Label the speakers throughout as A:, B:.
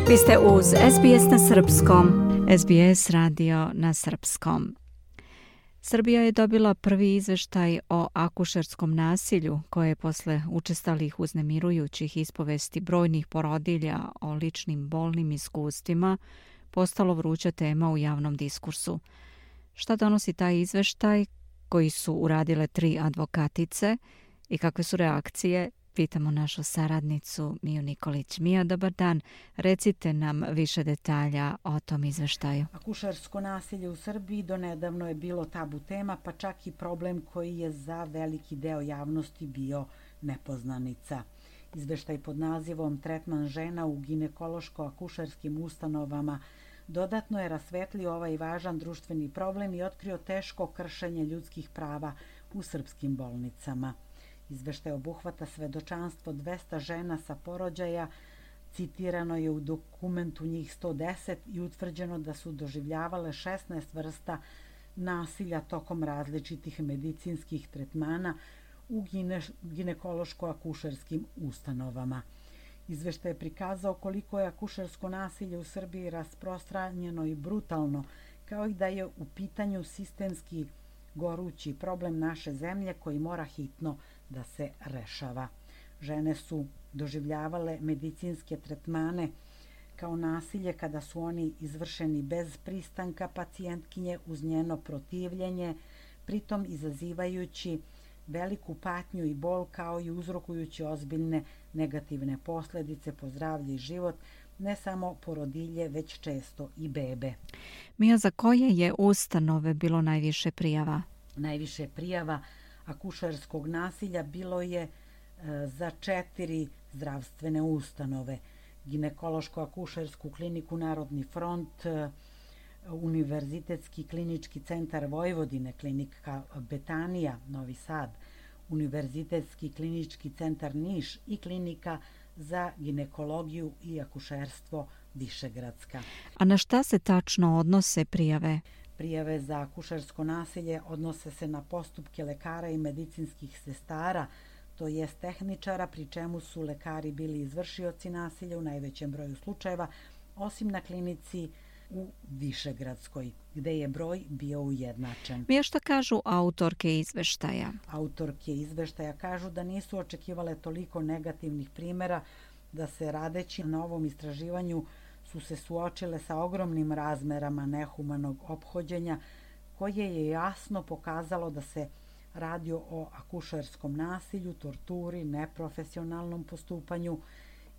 A: Vi ste uz SBS na srpskom. SBS radio na srpskom. Srbija je dobila prvi izveštaj o akušerskom nasilju koje je posle učestalih uznemirujućih ispovesti brojnih porodilja o ličnim bolnim iskustvima postalo vruća tema u javnom diskursu. Šta donosi taj izveštaj koji su uradile 3 advokatice i kakve su reakcije? Pitamo našu saradnicu Miju Nikolić. Mija, dobar dan. Recite nam više detalja o tom izveštaju.
B: Akušersko nasilje u Srbiji donedavno je bilo tabu tema, pa čak i problem koji je za veliki deo javnosti bio nepoznanica. Izveštaj pod nazivom Tretman žena u ginekološko-akušerskim ustanovama dodatno je rasvetlio ovaj važan društveni problem i otkrio teško kršenje ljudskih prava u srpskim bolnicama. Izveštaj obuhvata svedočanstvo 200 žena sa porođaja, citirano je u dokumentu njih 110 i utvrđeno da su doživljavale 16 vrsta nasilja tokom različitih medicinskih tretmana u ginekološko-akušerskim ustanovama. Izveštaj je prikazao koliko je akušersko nasilje u Srbiji rasprostranjeno i brutalno, kao i da je u pitanju sistemski gorući problem naše zemlje koji mora hitno da se rešava. Žene su doživljavale medicinske tretmane kao nasilje kada su oni izvršeni bez pristanka pacijentkinje uz njeno protivljenje, pritom izazivajući veliku patnju i bol kao i uzrokujući ozbiljne negativne posledice po zdravlje i život, ne samo porodilje, već često i bebe.
A: Mija, za koje je ustanove bilo najviše prijava?
B: Najviše prijava akušerskog nasilja bilo je za 4 zdravstvene ustanove. Ginekološko-akušersku kliniku Narodni front, Univerzitetski klinički centar Vojvodine, klinika Betanija, Novi Sad, Univerzitetski klinički centar Niš i klinika za ginekologiju i akušerstvo Višegradska.
A: A na šta se tačno odnose prijave?
B: Prijave za akušersko nasilje odnose se na postupke lekara i medicinskih sestara, to jest tehničara, pri čemu su lekari bili izvršioci nasilja u najvećem broju slučajeva, osim na klinici u Višegradskoj, gde je broj bio ujednačen.
A: Mija, šta kažu autorke izveštaja?
B: Autorke izveštaja kažu da nisu očekivale toliko negativnih primjera, da se radeći na ovom istraživanju su se suočile sa ogromnim razmerama nehumanog ophođenja, koje je jasno pokazalo da se radi o akušerskom nasilju, torturi, neprofesionalnom postupanju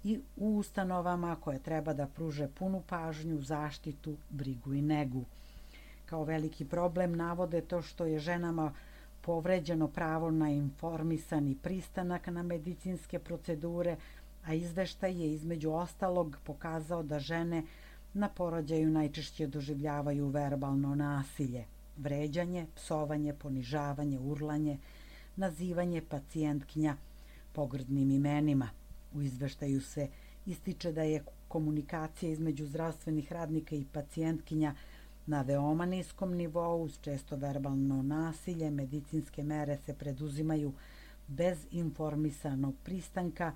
B: i u ustanovama koje treba da pruže punu pažnju, zaštitu, brigu i negu. Kao veliki problem navode to što je ženama povređeno pravo na informisani pristanak na medicinske procedure, a izveštaj je između ostalog pokazao da žene na porođaju najčešće doživljavaju verbalno nasilje, vređanje, psovanje, ponižavanje, urlanje, nazivanje pacijentkinja pogrdnim imenima. U izveštaju se ističe da je komunikacija između zdravstvenih radnika i pacijentkinja na veoma niskom nivou, uz često verbalno nasilje, medicinske mere se preduzimaju bez informisanog pristanka,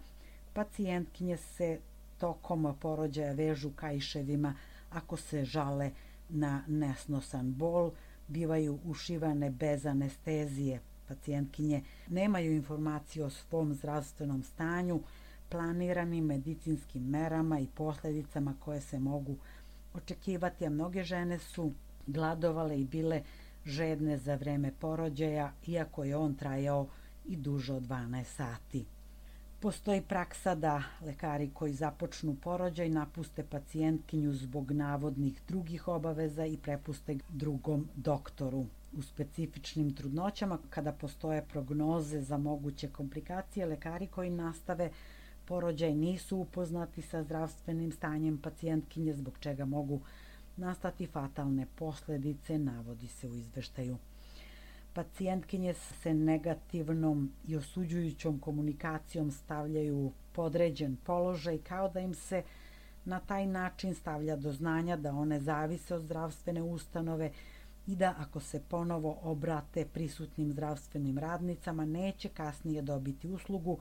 B: pacijentkinje se tokom porođaja vežu kaiševima ako se žale na nesnosan bol, bivaju ušivane bez anestezije. Pacijentkinje nemaju informaciju o svom zdravstvenom stanju, planiranim medicinskim merama i posljedicama koje se mogu očekivati, a mnoge žene su gladovale i bile žedne za vreme porođaja, iako je on trajao i duže od 12 sati. Postoji praksa da lekari koji započnu porođaj napuste pacijentkinju zbog navodnih drugih obaveza i prepuste drugom doktoru. U specifičnim trudnoćama, kada postoje prognoze za moguće komplikacije, lekari koji nastave porođaj nisu upoznati sa zdravstvenim stanjem pacijentkinje, zbog čega mogu nastati fatalne posledice, navodi se u izveštaju. Pacijentkinje se negativnom i osuđujućom komunikacijom stavljaju u podređen položaj, kao da im se na taj način stavlja do znanja da one zavise od zdravstvene ustanove i da ako se ponovo obrate prisutnim zdravstvenim radnicama neće kasnije dobiti uslugu,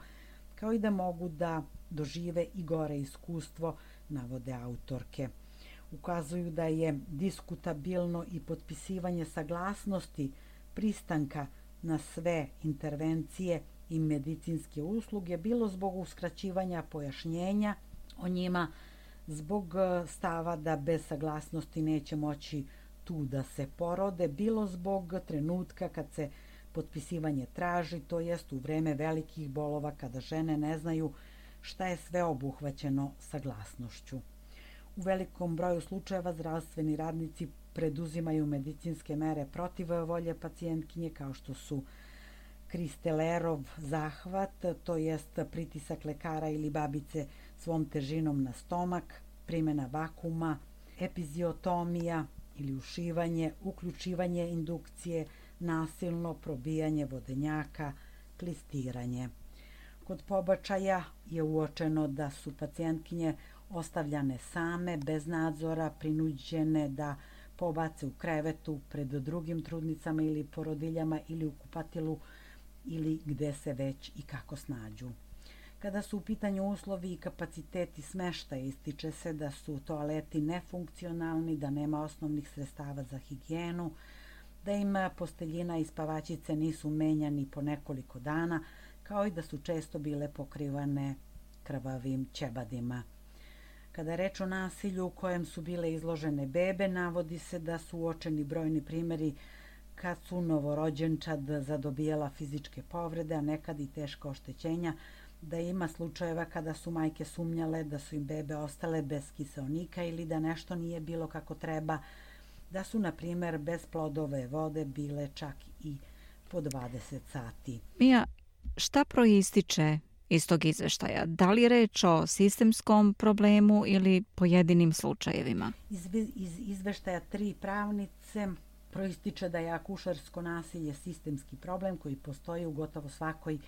B: kao i da mogu da dožive i gore iskustvo navode autorke. Ukazuju da je diskutabilno i potpisivanje saglasnosti pristanka na sve intervencije i medicinske usluge, bilo zbog uskraćivanja pojašnjenja o njima, zbog stava da bez saglasnosti neće moći tu da se porode, bilo zbog trenutka kad se potpisivanje traži, to jest u vreme velikih bolova kada žene ne znaju šta je sve obuhvaćeno saglasnošću. U velikom broju slučajeva zdravstveni radnici preduzimaju medicinske mere protiv volje pacijentkinje, kao što su Kristelerov zahvat, to jest pritisak lekara ili babice svom težinom na stomak, primjena vakuma, epiziotomija ili ušivanje, uključivanje indukcije, nasilno probijanje vodenjaka, klistiranje. Kod pobačaja je uočeno da su pacijentkinje ostavljane same, bez nadzora, prinuđene da pobace u krevetu pred drugim trudnicama ili porodiljama ili u kupatilu ili gde se već i kako snađu. Kada su u pitanju uslovi i kapaciteti smeštaja, ističe se da su toaleti nefunkcionalni, da nema osnovnih sredstava za higijenu, da im posteljina i spavačice nisu menjani po nekoliko dana, kao i da su često bile pokrivane krvavim ćebadima. Kada je reč o nasilju u kojem su bile izložene bebe, navodi se da su uočeni brojni primjeri kad su novorođenčad zadobijala fizičke povrede, a nekad i teška oštećenja, da ima slučajeva kada su majke sumnjale da su im bebe ostale bez kiseonika ili da nešto nije bilo kako treba, da su, na primjer, bez plodove vode bile čak i po 20 sati.
A: Mija, šta proističe iz tog izveštaja? Da li je reč o sistemskom problemu ili pojedinim slučajevima?
B: Iz izveštaja 3 pravnice proističe da je akušersko nasilje sistemski problem koji postoji u gotovo svakoj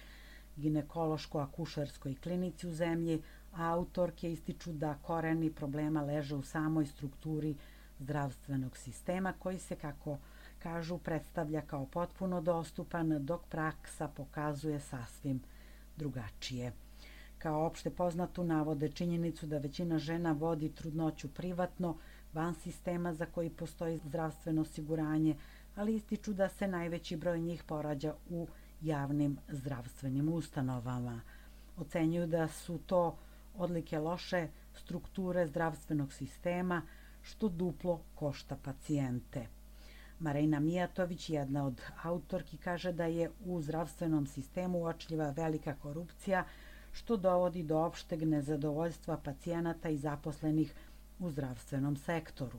B: ginekološko-akušerskoj klinici u zemlji, a autorke ističu da koreni problema leže u samoj strukturi zdravstvenog sistema koji se, kako kažu, predstavlja kao potpuno dostupan, dok praksa pokazuje sasvim drugačije. Kao opšte poznatu navode činjenicu da većina žena vodi trudnoću privatno, van sistema za koji postoji zdravstveno osiguranje, ali ističu da se najveći broj njih porađa u javnim zdravstvenim ustanovama. Ocenjuju da su to odlike loše strukture zdravstvenog sistema, što duplo košta pacijente. Marina Mijatović, jedna od autorki, kaže da je u zdravstvenom sistemu uočljiva velika korupcija, što dovodi do opšteg nezadovoljstva pacijenata i zaposlenih u zdravstvenom sektoru.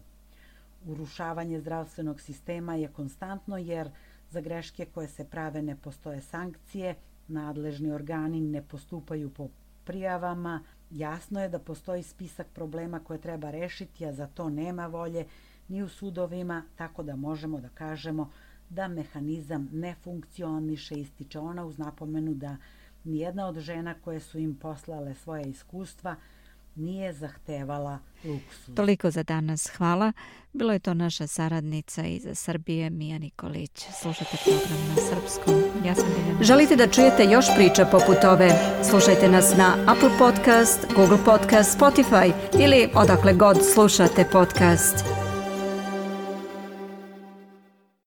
B: Urušavanje zdravstvenog sistema je konstantno jer za greške koje se prave ne postoje sankcije, nadležni organi ne postupaju po prijavama, jasno je da postoji spisak problema koje treba rešiti, a za to nema volje ni u sudovima, tako da možemo da kažemo da mehanizam ne funkcioniše, ističe ona uz napomenu da nijedna od žena koje su im poslale svoje iskustva nije zahtevala luksuz.
A: Toliko za danas, hvala. Bilo je to naša saradnica iz Srbije, Mija Nikolić. Slušajte program na srpskom. Ja sam Biljana.
C: Želite da čujete još priča poput ove? Slušajte nas na Apple Podcast, Google Podcast, Spotify ili odakle god slušate podcast.